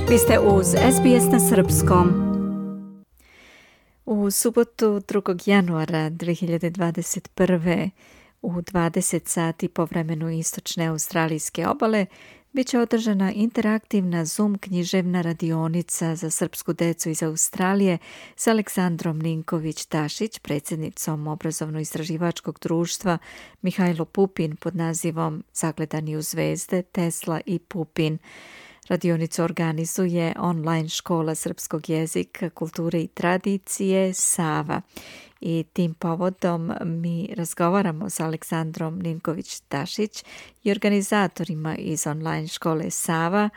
Vi ste uz SBS na srpskom. U subotu 2. januara 2021. u 20 sati po vremenu istočne australijske obale bit će održana interaktivna Zoom književna radionica za srpsku decu iz Australije s Aleksandrom Ninković-Tašić, predsjednicom obrazovno-istraživačkog društva Mihajlo Pupin pod nazivom Zagledani u zvezde, Tesla i Pupin. Radionicu organizuje online škola srpskog jezika, kulture i tradicije Sava. I tim povodom mi razgovaramo s Aleksandrom Ninković-Tašić i organizatorima iz online škole Sava,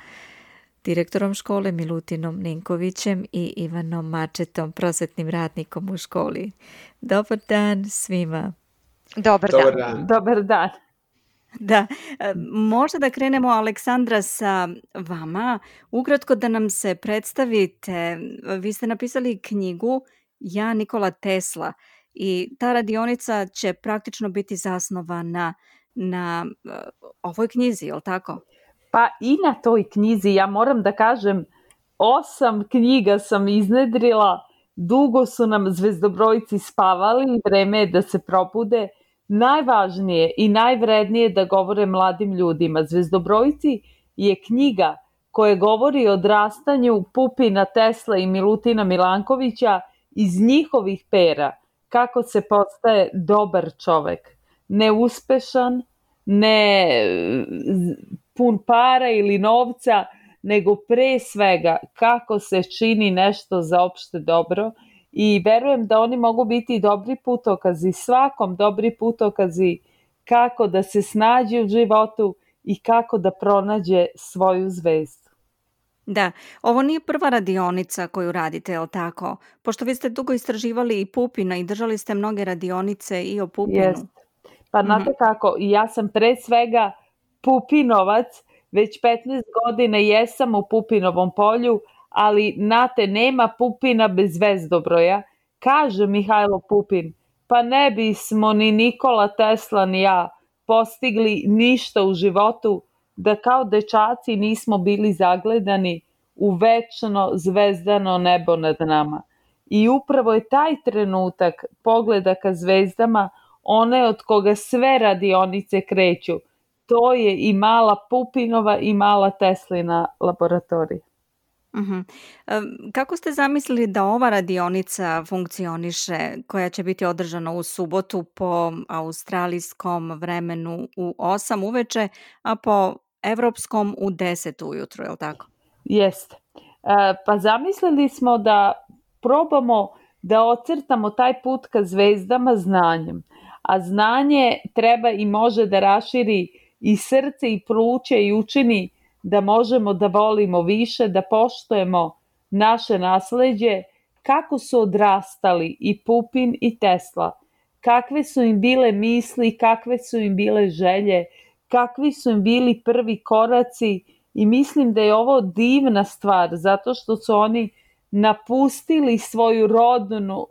direktorom škole Milutinom Ninkovićem i Ivanom Mačetom, prosvetnim radnikom u školi. Dobar dan svima. Dobar dan. Dobar dan. Da, možda da krenemo, Aleksandra, sa vama. Ukratko da nam se predstavite. Vi ste napisali knjigu Ja, Nikola Tesla, i ta radionica će praktično biti zasnovana na ovoj knjizi, je li tako? Pa i na toj knjizi, ja moram da kažem, 8 knjiga sam iznedrila, dugo su nam zvezdobrojci spavali, vreme je da se probude. Najvažnije i najvrednije da govore mladim ljudima. Zvezdobrojci je knjiga koja govori o odrastanju Pupina, Tesla i Milutina Milankovića iz njihovih pera, kako se postaje dobar čovek. Neuspešan, ne pun para ili novca, nego pre svega kako se čini nešto za opšte dobro. I verujem da oni mogu biti dobri putokazi, svakom dobri putokazi kako da se snađe u životu i kako da pronađe svoju zvezdu. Da, ovo nije prva radionica koju radite, je li tako? Pošto vi ste dugo istraživali i Pupina i držali ste mnoge radionice i o Pupinu. Jest. Pa znate kako, ja sam pre svega Pupinovac, već 15 godina jesam u Pupinovom polju, ali znate, nema Pupina bez zvezdobroja. Kaže Mihajlo Pupin, pa ne bismo ni Nikola Tesla ni ja postigli ništa u životu da kao dečaci nismo bili zagledani u večno zvezdano nebo nad nama. I upravo je taj trenutak pogleda ka zvezdama one od koga sve radionice kreću. To je i mala Pupinova i mala Teslina laboratorija. Kako ste zamislili da ova radionica funkcioniše, koja će biti održana u subotu po australijskom vremenu u 8 uveče, a po evropskom u 10 ujutru, je li tako? Jeste. Pa zamislili smo da probamo da ocrtamo taj put ka zvezdama znanjem. A znanje treba i može da raširi i srce i pluće i učini da možemo da volimo više, da poštujemo naše nasleđe, kako su odrastali i Pupin i Tesla, kakve su im bile misli, kakve su im bile želje, kakvi su im bili prvi koraci, i mislim da je ovo divna stvar, zato što su oni napustili svoju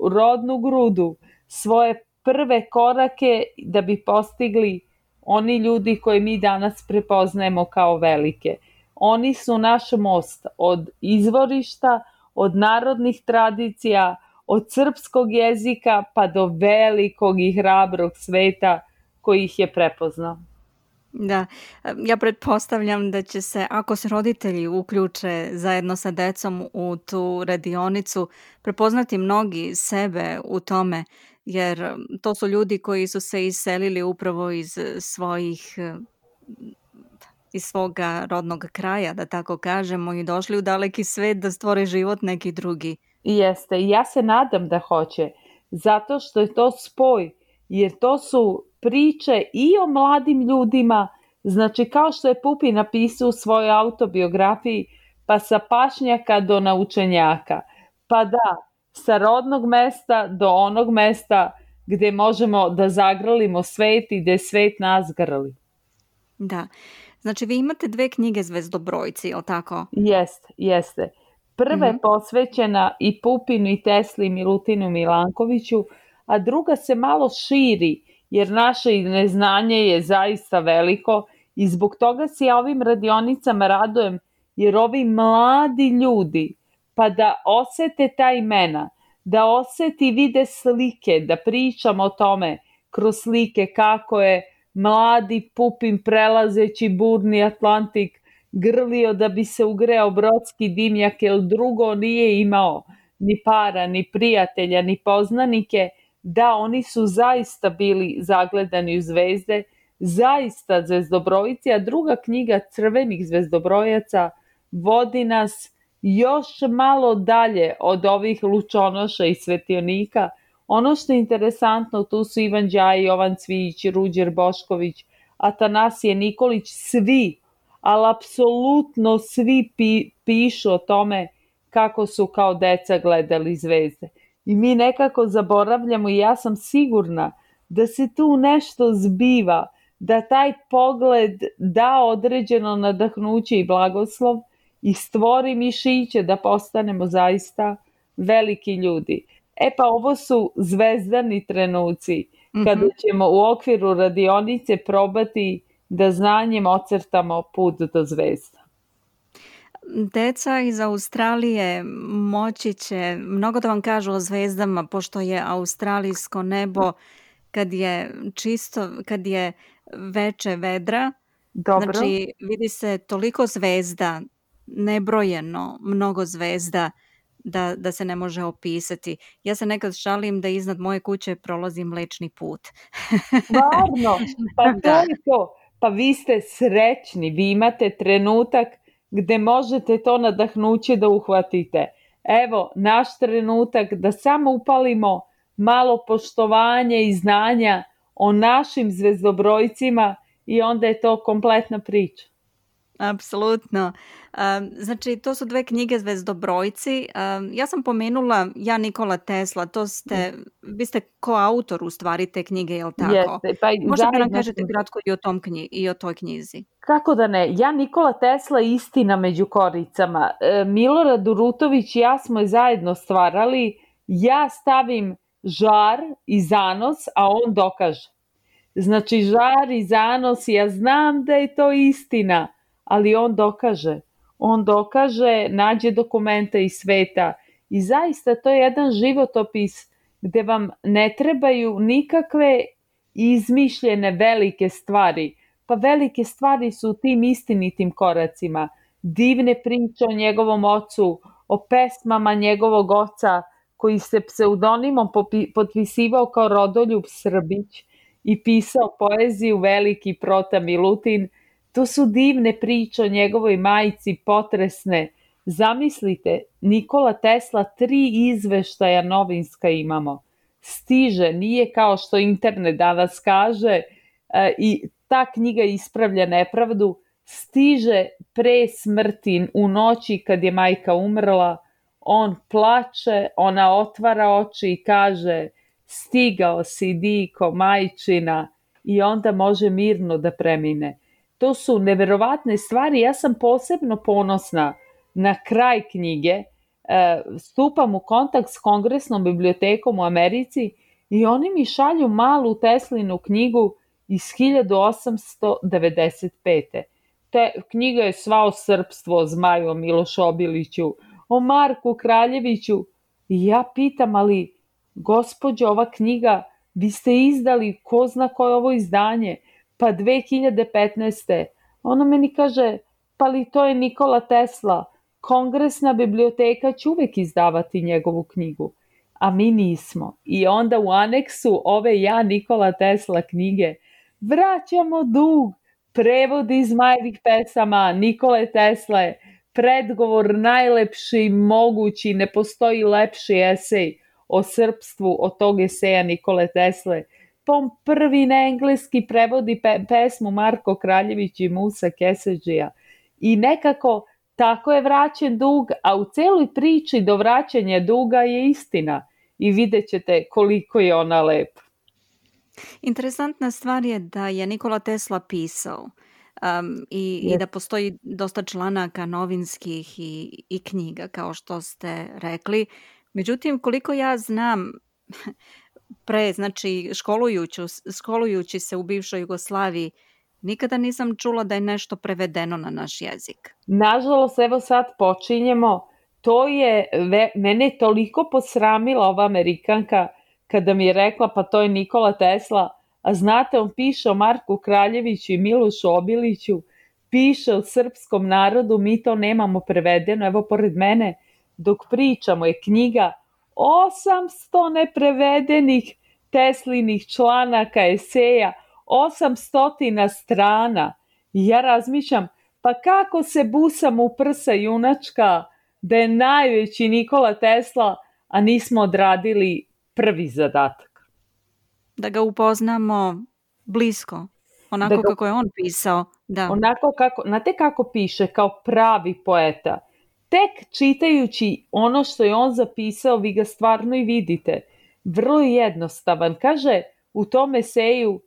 rodnu grudu, svoje prve korake da bi postigli oni ljudi koje mi danas prepoznajemo kao velike. Oni su naš most od izvorišta, od narodnih tradicija, od srpskog jezika pa do velikog i hrabrog sveta koji ih je prepoznao. Da, ja pretpostavljam da će se, ako se roditelji uključe zajedno sa decom u tu radionicu, prepoznati mnogi sebe u tome, jer to su ljudi koji su se iselili upravo iz svoga rodnog kraja, da tako kažemo, i došli u daleki svet da stvore život neki drugi. Jeste, i ja se nadam da hoće, zato što je to spoj, jer to su priče i o mladim ljudima, znači kao što je Pupin napisao u svojoj autobiografiji, pa sa pašnjaka do naučenjaka, pa da, sa rodnog mesta do onog mesta gde možemo da zagrlimo svet i gde svet nas grli. Da, znači vi imate 2 knjige Zvezdobrojci, je li tako? Jeste. Prva je posvećena i Pupinu i Tesli i Milutinu Milankoviću, a druga se malo širi, jer naše neznanje je zaista veliko i zbog toga se ja ovim radionicama radujem, jer ovi mladi ljudi, pa da osete ta imena, da oseti i vide slike, da pričamo o tome kroz slike kako je mladi Pupin prelazeći burni Atlantik grlio da bi se ugreo brodski dimnjak, jer drugo nije imao ni para, ni prijatelja, ni poznanike. Da, oni su zaista bili zagledani u zvezde, zaista zvezdobrojici, a druga knjiga Crvenih zvezdobrojaca vodi nas još malo dalje od ovih lučonoša i svetionika. Ono što je interesantno, tu su Ivan Đaj, Jovan Cvijić, Ruđer Bošković, Atanasije Nikolić, svi, ali apsolutno svi pišu o tome kako su kao deca gledali zvezde. I mi nekako zaboravljamo, i ja sam sigurna da se tu nešto zbiva, da taj pogled da određeno nadahnuće i blagoslov i stvori mišiće da postanemo zaista veliki ljudi. Pa ovo su zvezdani trenuci kada ćemo u okviru radionice probati da znanjem ocrtamo put do zvezda. Deca iz Australije moći će mnogo da vam kažu o zvezdama, pošto je australijsko nebo kad je čisto, kad je veče vedra. Dobro. Znači vidi se toliko zvezda, nebrojeno mnogo zvezda da se ne može opisati. Ja se nekad šalim da iznad moje kuće prolazi Mlečni put. Stvarno, pa to je to. Pa vi ste srećni, vi imate trenutak gde možete to nadahnuće da uhvatite. Evo, naš trenutak da samo upalimo malo poštovanja i znanja o našim zvezdobrojcima i onda je to kompletna priča. Apsolutno. Znači, to su 2 knjige Zvezdobrojci. Ja sam pomenula Nikola Tesla, vi ste koautor u stvari te knjige, je li tako? Jeste. Pa možda nam kažete kratko i o toj knjizi. Kako da ne? Nikola Tesla, istina među koricama. Milorad Urutović i ja smo je zajedno stvarali. Ja stavim žar i zanos, a on dokaže. Znači, žar i zanos, ja znam da je to istina, ali on dokaže, nađe dokumente iz sveta i zaista to je jedan životopis gde vam ne trebaju nikakve izmišljene velike stvari. Pa velike stvari su u tim istinitim koracima. Divne priče o njegovom ocu, o pesmama njegovog oca koji se pseudonimom potpisivao kao Rodoljub Srbić i pisao poeziju Veliki Prota Milutin. To su divne priče o njegovoj majci, potresne. Zamislite, Nikola Tesla 3 izveštaja novinska imamo. Stiže, nije kao što internet danas kaže i ta knjiga ispravlja nepravdu. Stiže pre smrti, u noći kad je majka umrla, on plače, ona otvara oči i kaže: stigao si, diko, majčina, i onda može mirno da premine. To su neverovatne stvari. Ja sam posebno ponosna na kraj knjige. Stupam u kontakt s Kongresnom bibliotekom u Americi i oni mi šalju malu Teslinu knjigu iz 1895. Knjiga je sva o srpstvu, o Zmaju, o Milošu Obiliću, o Marku Kraljeviću. I ja pitam, ali gospođo, ova knjiga, vi ste izdali, ko zna koje je ovo izdanje? Pa 2015. Ona meni kaže, pa li to je Nikola Tesla, Kongresna biblioteka će uvek izdavati njegovu knjigu, a mi nismo. I onda u aneksu ove Nikola Tesla knjige vraćamo dug, prevod iz Zmajevih pesama Nikole Tesle, predgovor najlepši mogući, ne postoji lepši esej o srpstvu od tog eseja Nikole Tesle. On prvi na engleski prevodi pesmu Marko Kraljević i Musa Keseđija. I nekako tako je vraćen dug, a u celoj priči do vraćanja duga je istina. I vidjet ćete koliko je ona lepa. Interesantna stvar je da je Nikola Tesla pisao i da postoji dosta članaka novinskih i knjiga, kao što ste rekli. Međutim, koliko ja znam, znači školujući se u bivšoj Jugoslaviji, Nikada nisam čula da je nešto prevedeno na naš jezik. Nažalost, evo sad počinjemo. To je, mene je toliko posramila ova Amerikanka kada mi je rekla pa to je Nikola Tesla, a znate, on piše o Marku Kraljeviću i Milošu Obiliću, piše o srpskom narodu, mi to nemamo prevedeno, evo pored mene, dok pričamo je knjiga 800 neprevedenih Teslinih članaka, eseja, 800 strana. I ja razmišljam, pa kako se busam u prsa junačka da je najveći Nikola Tesla, a nismo odradili prvi zadatak. Da ga upoznamo blisko, onako kako je on pisao. Da. Onako kako, znate kako piše, kao pravi poeta. Tek čitajući ono što je on zapisao, vi ga stvarno i vidite. Vrlo jednostavan. Kaže u tom eseju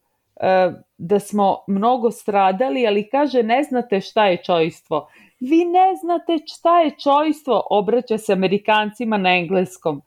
da smo mnogo stradali, ali kaže ne znate šta je čojstvo. Vi ne znate šta je čojstvo, obraća se Amerikancima na engleskom.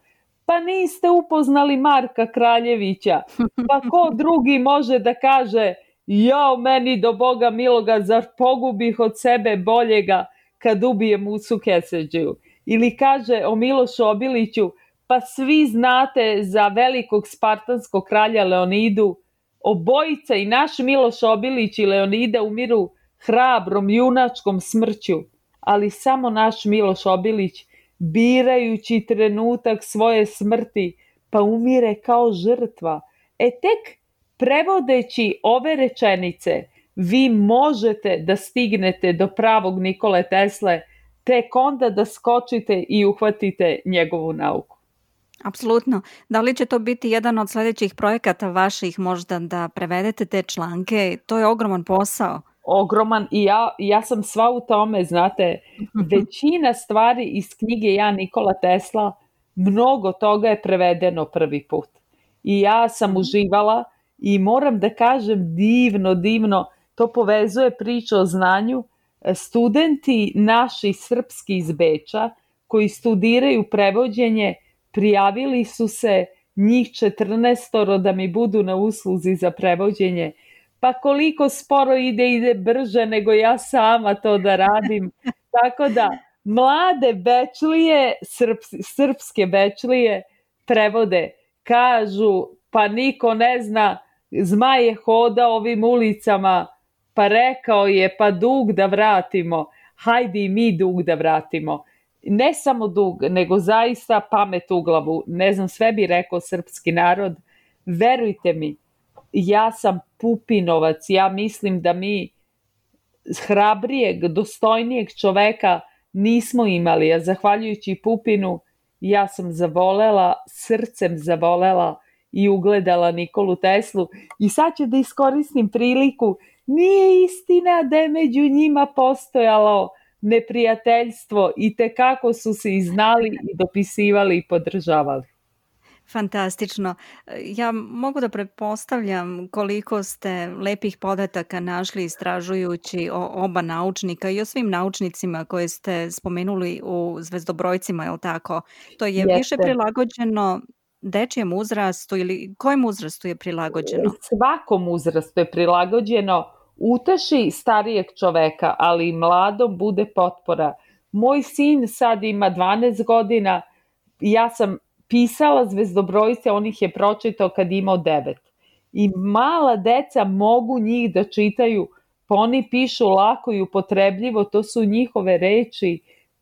Pa niste upoznali Marka Kraljevića. Pa ko drugi može da kaže jao meni do Boga miloga, zar pogubih od sebe boljega kad ubijem Musu Keseđiju. Ili kaže o Milošu Obiliću, pa svi znate za velikog spartanskog kralja Leonidu, obojica i naš Miloš Obilić i Leonida umiru hrabrom junačkom smrću, ali samo naš Miloš Obilić, birajući trenutak svoje smrti, pa umire kao žrtva. Tek prevodeći ove rečenice, vi možete da stignete do pravog Nikole Tesle, tek onda da skočite i uhvatite njegovu nauku. Apsolutno. Da li će to biti jedan od sljedećih projekata vaših možda da prevedete te članke? To je ogroman posao. Ogroman i ja sam sva u tome, znate, većina stvari iz knjige Ja Nikola Tesla, mnogo toga je prevedeno prvi put. I ja sam uživala i moram da kažem divno, to povezuje priču o znanju. Studenti naši srpski iz Beča koji studiraju prevođenje prijavili su se njih 14 da mi budu na usluzi za prevođenje. Pa koliko sporo ide brže nego ja sama to da radim. Tako da mlade Bečlije, srpske Bečlije prevode, kažu pa niko ne zna, zmaj je hodao ovim ulicama, pa rekao je pa dug da vratimo, hajde i mi dug da vratimo. Ne samo dug, nego zaista pamet u glavu. Ne znam, sve bi rekao srpski narod. Verujte mi, ja sam Pupinovac, ja mislim da mi hrabrijeg, dostojnijeg čoveka nismo imali, a zahvaljujući Pupinu ja sam zavolela, srcem zavolela i ugledala Nikolu Teslu. I sad ću da iskoristim priliku, nije istina da je među njima postojalo neprijateljstvo i tekako su se i znali i dopisivali i podržavali. Fantastično. Ja mogu da pretpostavljam koliko ste lepih podataka našli istražujući o oba naučnika i o svim naučnicima koje ste spomenuli u Zvezdobrojcima, je li tako? To je više prilagođeno dečijem uzrastu ili kojem uzrastu je prilagođeno? Svakom uzrastu je prilagođeno. Uteši starijeg čoveka, ali i mladom bude potpora. Moj sin sad ima 12 godina, ja sam pisala Zvezdobrojce, on ih je pročitao kad imao 9. I mala deca mogu njih da čitaju, pa oni pišu lako i upotrebljivo, to su njihove reči,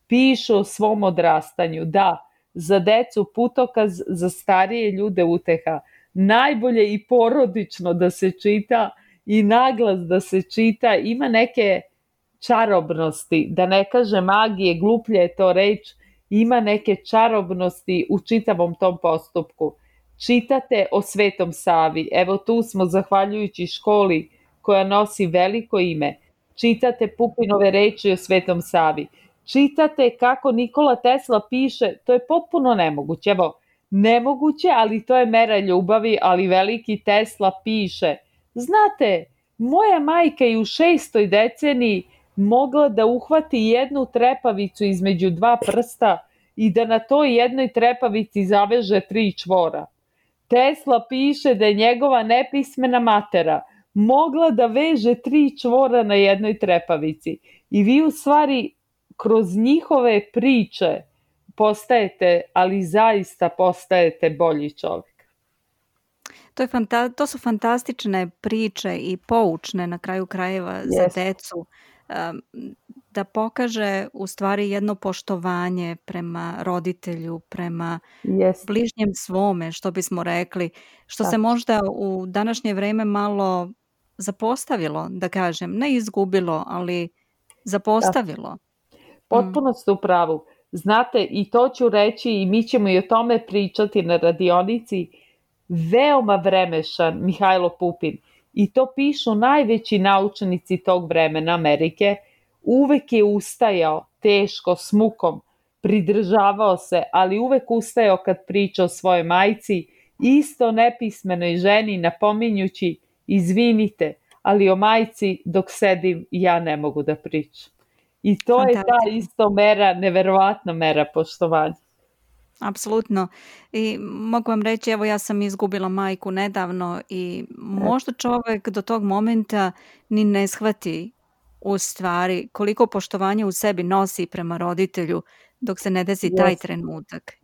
pišu o svom odrastanju. Da, za decu putokaz, za starije ljude uteha. Najbolje i porodično da se čita i naglas da se čita, ima neke čarobnosti, da ne kaže magije, gluplje je to reč, ima neke čarobnosti u čitavom tom postupku. Čitate o Svetom Savi, evo tu smo zahvaljujući školi koja nosi veliko ime, čitate Pupinove reči o Svetom Savi, čitate kako Nikola Tesla piše, to je potpuno nemoguće, evo, nemoguće, ali to je mera ljubavi, ali veliki Tesla piše, znate, moja majka je u 6. deceniji mogla da uhvati jednu trepavicu između 2 prsta i da na toj jednoj trepavici zaveže 3 čvora. Tesla piše da je njegova nepismena matera mogla da veže 3 čvora na jednoj trepavici. I vi u stvari kroz njihove priče postajete, ali zaista postajete bolji čovjek. To su fantastične priče i poučne na kraju krajeva za decu, da pokaže u stvari jedno poštovanje prema roditelju, prema bližnjem svome, što bismo rekli, što se možda u današnje vreme malo zapostavilo, da kažem, ne izgubilo, ali zapostavilo. Potpuno ste u pravu. Znate, i to ću reći i mi ćemo i o tome pričati na radionici, veoma vremešan Mihajlo Pupin, i to pišu najveći naučnici tog vremena Amerike, uvek je ustajao teško, s mukom, pridržavao se, ali uvek ustajao kad priča o svojoj majci, isto nepismenoj ženi, napominjući, izvinite, ali o majci dok sedim ja ne mogu da pričam. I to je ta isto mera, neverovatna mera poštovanja. Apsolutno. I mogu vam reći, evo ja sam izgubila majku nedavno i možda čovjek do tog momenta ni ne shvati u stvari koliko poštovanja u sebi nosi prema roditelju dok se ne desi taj trenutak.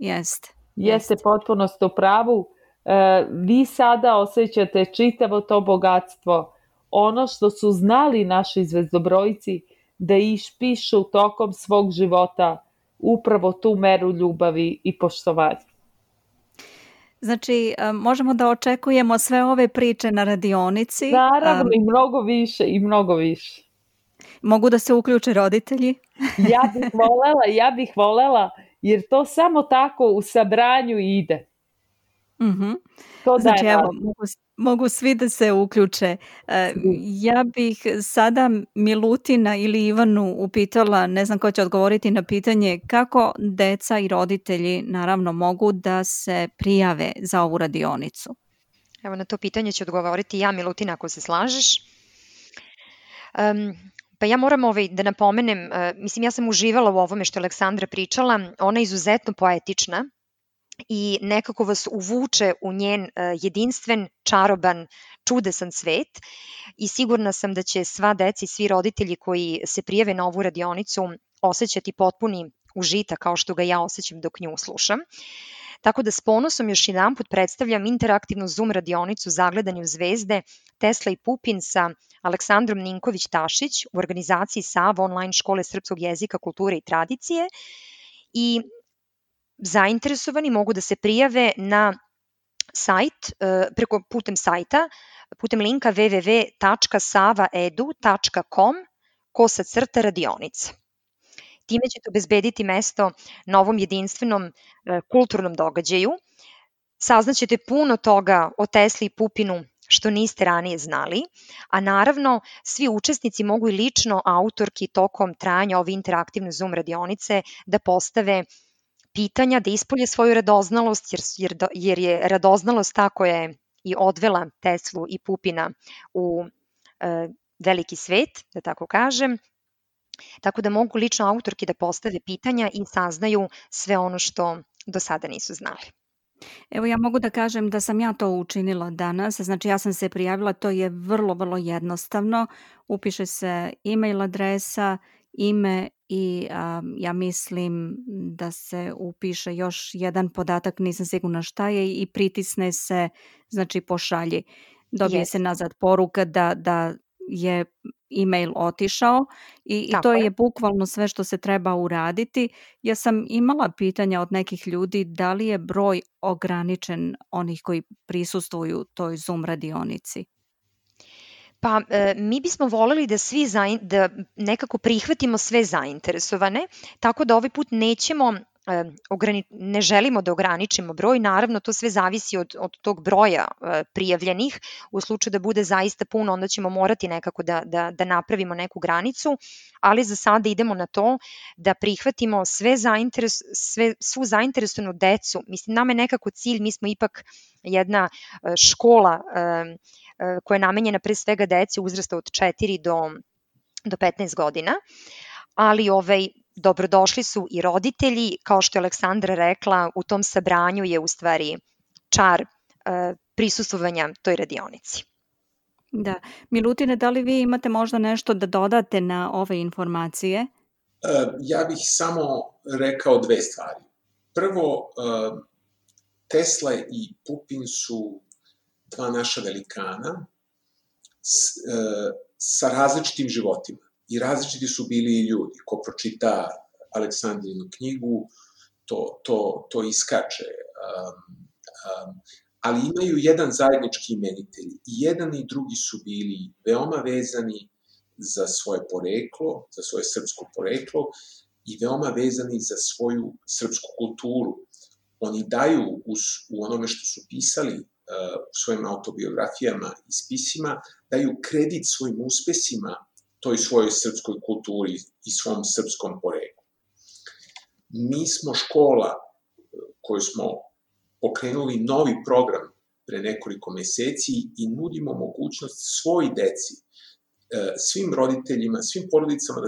Jeste, potpuno ste u pravu. Vi sada osjećate čitavo to bogatstvo, ono što su znali naši zvezdobrojci da išpišu tokom svog života, upravo tu meru ljubavi i poštovanja. Znači, možemo da očekujemo sve ove priče na radionici. Naravno, i mnogo više. Mogu da se uključe roditelji? Ja bih volela, jer to samo tako u sabranju ide. Znači, evo, mogu svi da se uključe. Ja bih sada Milutina ili Ivanu upitala, ne znam ko će odgovoriti na pitanje, kako deca i roditelji naravno mogu da se prijave za ovu radionicu? Evo, na to pitanje ću odgovoriti ja, Milutina, ako se slažeš. Pa ja moram da napomenem, mislim, ja sam uživala u ovome što je Aleksandra pričala, ona je izuzetno poetična i nekako vas uvuče u njen jedinstven, čaroban, čudesan svet i sigurna sam da će sva deca i svi roditelji koji se prijave na ovu radionicu osjećati potpuni užitak kao što ga ja osjećam dok nju slušam. Tako da s ponosom još jedanput predstavljam interaktivnu Zoom radionicu Zagledani u zvezde Tesla i Pupin sa Aleksandrom Ninković-Tašić u organizaciji Sava online škole srpskog jezika, kulture i tradicije i zainteresovani mogu da se prijave na sajt, putem sajta, putem linka www.savaedu.com/radionica. Time ćete obezbediti mesto na ovom jedinstvenom kulturnom događaju. Saznaćete puno toga o Tesli i Pupinu što niste ranije znali, a naravno svi učesnici mogu i lično autorki tokom trajanja ove interaktivne Zoom radionice da postave pitanja, da ispolje svoju radoznalost, jer je radoznalost ta koja je i odvela Teslu i Pupina u veliki svet, da tako kažem. Tako da mogu lično autorki da postave pitanja i saznaju sve ono što do sada nisu znali. Evo ja mogu da kažem da sam ja to učinila danas, znači ja sam se prijavila, to je vrlo, vrlo jednostavno, upiše se e-mail adresa, ime i ja mislim da se upiše još jedan podatak, nisam sigurna šta je, i pritisne se, znači pošalji. Dobije se nazad poruka da je e-mail otišao i to je bukvalno sve što se treba uraditi. Ja sam imala pitanja od nekih ljudi da li je broj ograničen onih koji prisustvuju toj Zoom radionici. Pa mi bismo voljeli da nekako prihvatimo sve zainteresovane, tako da ovaj put ne želimo da ograničimo broj, naravno to sve zavisi od tog broja prijavljenih, u slučaju da bude zaista puno onda ćemo morati nekako da napravimo neku granicu, ali za sada idemo na to da prihvatimo svu zainteresovanu decu, mislim nama je nekako cilj, mi smo ipak jedna škola koja je namenjena pre svega deci uzrasta od 4 do 15 godina, ali dobrodošli su i roditelji, kao što je Aleksandra rekla, u tom sabranju je u stvari čar prisustvovanja toj radionici. Da. Milutine, da li vi imate možda nešto da dodate na ove informacije? Ja bih samo rekao dve stvari. Prvo, Tesla i Pupin su dva naša velikana sa različitim životima. I različiti su bili i ljudi. Ko pročita Aleksandrinu knjigu, to iskače. Ali imaju jedan zajednički imenitelj. I jedan i drugi su bili veoma vezani za svoje poreklo, za svoje srpsko poreklo i veoma vezani za svoju srpsku kulturu. Oni daju u onome što su pisali u svojim autobiografijama i spisima, daju kredit svojim uspesima toj svojoj srpskoj kulturi i svom srpskom poreklu. Mi smo škola koju smo pokrenuli novi program pre nekoliko meseci i nudimo mogućnost svoj deci, svim roditeljima, svim porodicama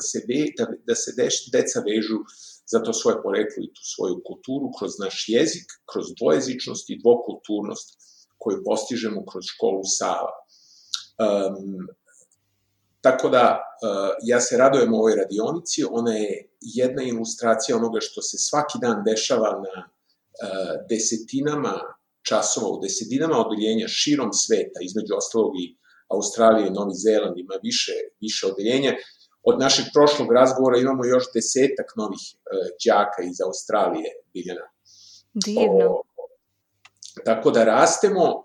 da se deca vežu za to svoje poreklo i tu svoju kulturu kroz naš jezik, kroz dvojezičnost i dvokulturnost koju postižemo kroz školu Sava. Tako da, ja se radujem ovoj radionici, ona je jedna ilustracija onoga što se svaki dan dešava na desetinama časova, u desetinama odeljenja širom sveta, između ostalog i Australije, Novi Zeland ima više odeljenja. Od našeg prošlog razgovora imamo još 10-ak novih đaka iz Australije, Biljana. Divno. Tako da rastemo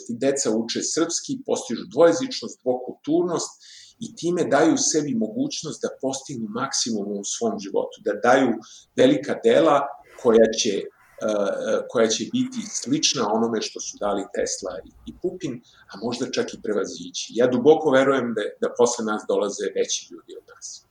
i deca uče srpski, postižu dvojezičnost, dvokulturnost i time daju sebi mogućnost da postignu maksimum u svom životu, da daju velika dela koja će biti slična onome što su dali Tesla i Pupin, a možda čak i prevazići. Ja duboko verujem da posle nas dolaze veći ljudi od nas.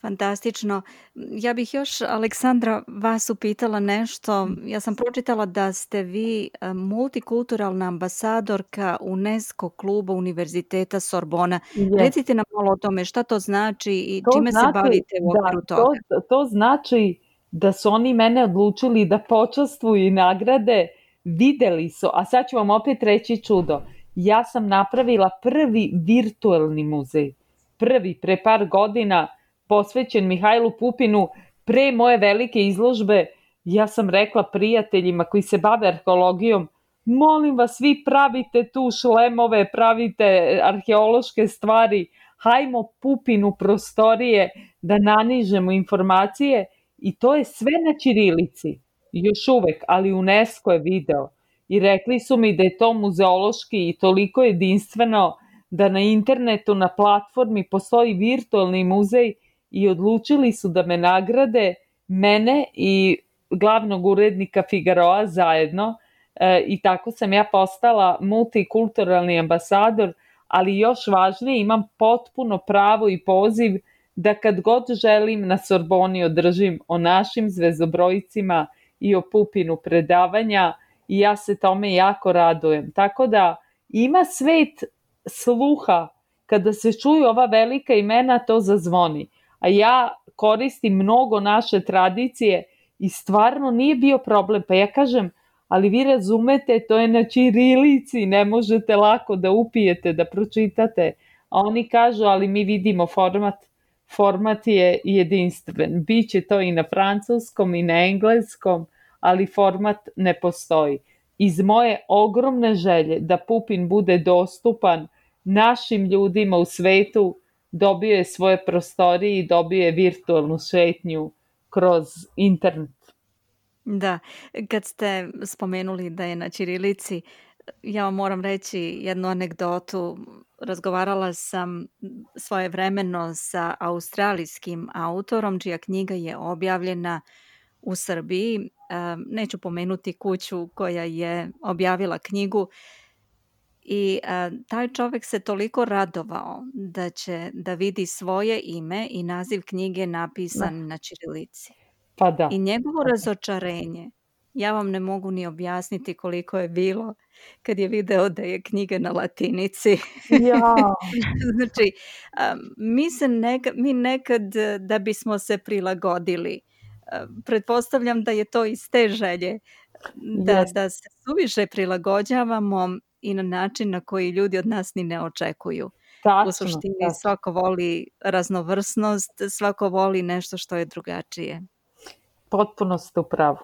Fantastično. Ja bih još, Aleksandra, vas upitala nešto. Ja sam pročitala da ste vi multikulturalna ambasadorka UNESCO kluba Univerziteta Sorbona. Recite nam malo o tome šta to znači i čime se bavite u okviru toga. To znači da su oni mene odlučili da počastvuju i nagrade, videli su, a sad ću vam opet reći čudo. Ja sam napravila prvi virtuelni muzej. Pre par godina, posvećen Mihajlu Pupinu, pre moje velike izložbe, ja sam rekla prijateljima koji se bave arheologijom, molim vas, vi pravite tu šlemove, pravite arheološke stvari, hajmo Pupinu prostorije da nanižemo informacije i to je sve na ćirilici, još uvek, ali UNESCO je video i rekli su mi da je to muzeološki i toliko jedinstveno da na internetu, na platformi postoji virtualni muzej i odlučili su da me nagrade, mene i glavnog urednika Figaroa zajedno i tako sam ja postala multikulturalni ambasador, ali još važnije imam potpuno pravo i poziv da kad god želim na Sorboni održim o našim zvezdobrojicima i o Pupinu predavanja i ja se tome jako radujem. Tako da ima svet sluha, kada se čuju ova velika imena to zazvoni. A ja koristim mnogo naše tradicije i stvarno nije bio problem. Pa ja kažem, ali vi razumete, to je na ćirilici, ne možete lako da upijete, da pročitate. A oni kažu, ali mi vidimo format je jedinstven. Biće to i na francuskom i na engleskom, ali format ne postoji. Iz moje ogromne želje da Pupin bude dostupan našim ljudima u svetu, dobio je svoje prostorije i dobio je virtualnu šetnju kroz internet. Da, kad ste spomenuli da je na ćirilici, ja vam moram reći jednu anegdotu. Razgovarala sam svojevremeno sa australijskim autorom, čija knjiga je objavljena u Srbiji. Neću pomenuti kuću koja je objavila knjigu. I taj čovjek se toliko radovao da će da vidi svoje ime i naziv knjige napisan na ćirilici. Pa da. I njegovo razočarenje, ja vam ne mogu ni objasniti koliko je bilo kad je video da je knjiga na latinici. Ja. Znači, mi nekad da bismo se prilagodili, pretpostavljam da je to iz te želje, da se suviše prilagođavamo i na način na koji ljudi od nas ni ne očekuju. Tačno, U suštini tačno. svako voli raznovrsnost, svako voli nešto što je drugačije. Potpuno ste u pravu.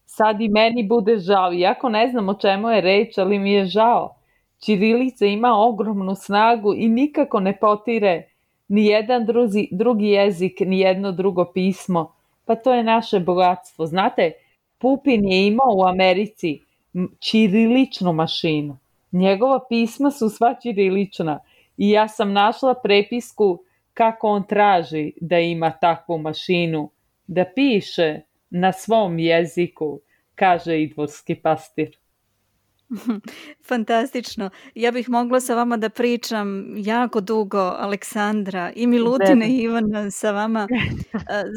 Sad i meni bude žao, iako ne znam o čemu je reč, ali mi je žao. Ćirilica ima ogromnu snagu i nikako ne potire ni jedan drugi jezik, ni jedno drugo pismo. Pa to je naše bogatstvo. Znate, Pupin je imao u Americi ćiriličnu mašinu. Njegova pisma su sva ćirilična i ja sam našla prepisku kako on traži da ima takvu mašinu, da piše na svom jeziku, kaže idvorski pastir. Fantastično. Ja bih mogla sa vama da pričam jako dugo, Aleksandra, i Milutina i Ivana sa vama.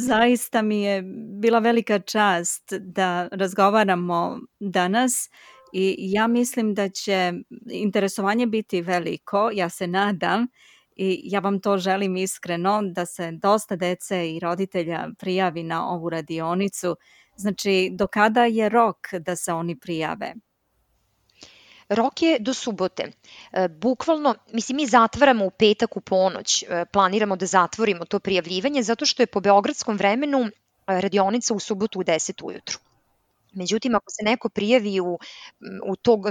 Zaista mi je bila velika čast da razgovaramo danas i ja mislim da će interesovanje biti veliko, ja se nadam, i ja vam to želim iskreno, da se dosta dece i roditelja prijavi na ovu radionicu. Znači, do kada je rok da se oni prijave? Rok je do subote. Bukvalno, mislim, mi zatvaramo u petak u ponoć, planiramo da zatvorimo to prijavljivanje zato što je po beogradskom vremenu radionica u subotu u 10 ujutru. Međutim, ako se neko prijavi u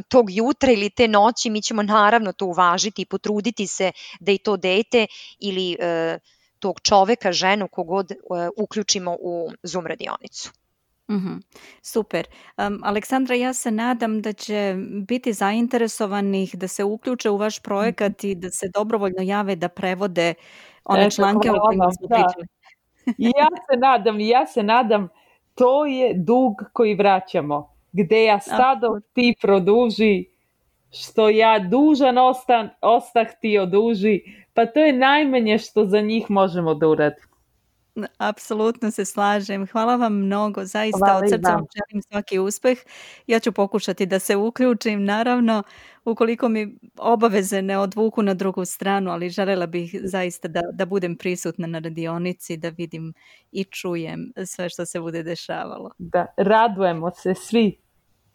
tog jutra ili te noći, mi ćemo naravno to uvažiti i potruditi se da i to dete ili tog čoveka, ženu, kogod uključimo u Zoom radionicu. Super. Aleksandra, ja se nadam da će biti zainteresovanih da se uključe u vaš projekat i da se dobrovoljno jave da prevode one članke o kojima smo pričali. Ja se nadam, to je dug koji vraćamo. Gde ja stado, ti produži, što ja dužan ostah, ti oduži. Pa to je najmanje što za njih možemo da uradimo. Apsolutno se slažem. Hvala vam mnogo. Zaista od srca vam želim svaki uspeh. Ja ću pokušati da se uključim, naravno, ukoliko mi obaveze ne odvuku na drugu stranu, ali želela bih zaista da budem prisutna na radionici, da vidim i čujem sve što se bude dešavalo. Da, radujemo se svi.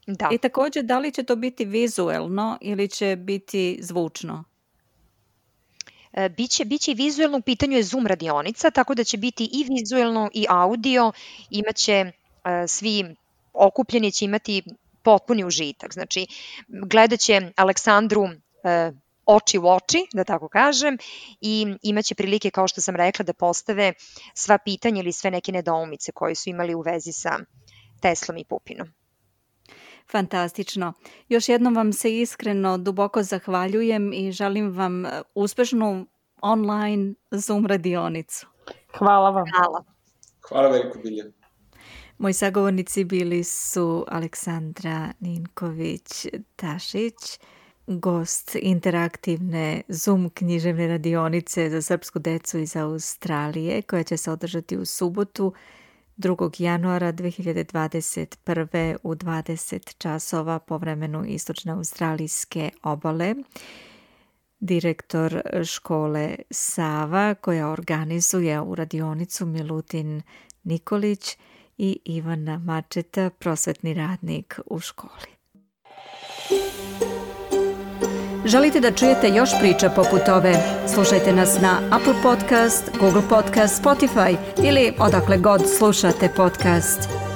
Da. I također, da li će to biti vizuelno ili će biti zvučno? Biće i vizuelno, u pitanju je Zoom radionica, tako da će biti i vizuelno i audio, imaće svi okupljeni, će imati potpuni užitak. Znači, gledat će Aleksandru oči u oči, da tako kažem, i imaće prilike, kao što sam rekla, da postave sva pitanja ili sve neke nedoumice koje su imali u vezi sa Teslom i Pupinom. Fantastično. Još jednom vam se iskreno duboko zahvaljujem i želim vam uspešnu online Zoom radionicu. Hvala vam. Hvala veliko, Bilja. Moji sagovornici bili su Aleksandra Ninković-Tašić, gost interaktivne Zoom književne radionice za srpsku decu iz Australije, koja će se održati u subotu 2. januara 2021. u 20 časova po vremenu istočne australijske obale. Direktor škole Sava, koja organizuje u radionicu, Milutin Nikolić, i Ivana Mačeta, prosvetni radnik u školi. Želite da čujete još priča poput ove? Slušajte nas na Apple Podcast, Google Podcast, Spotify ili odakle god slušate podcast.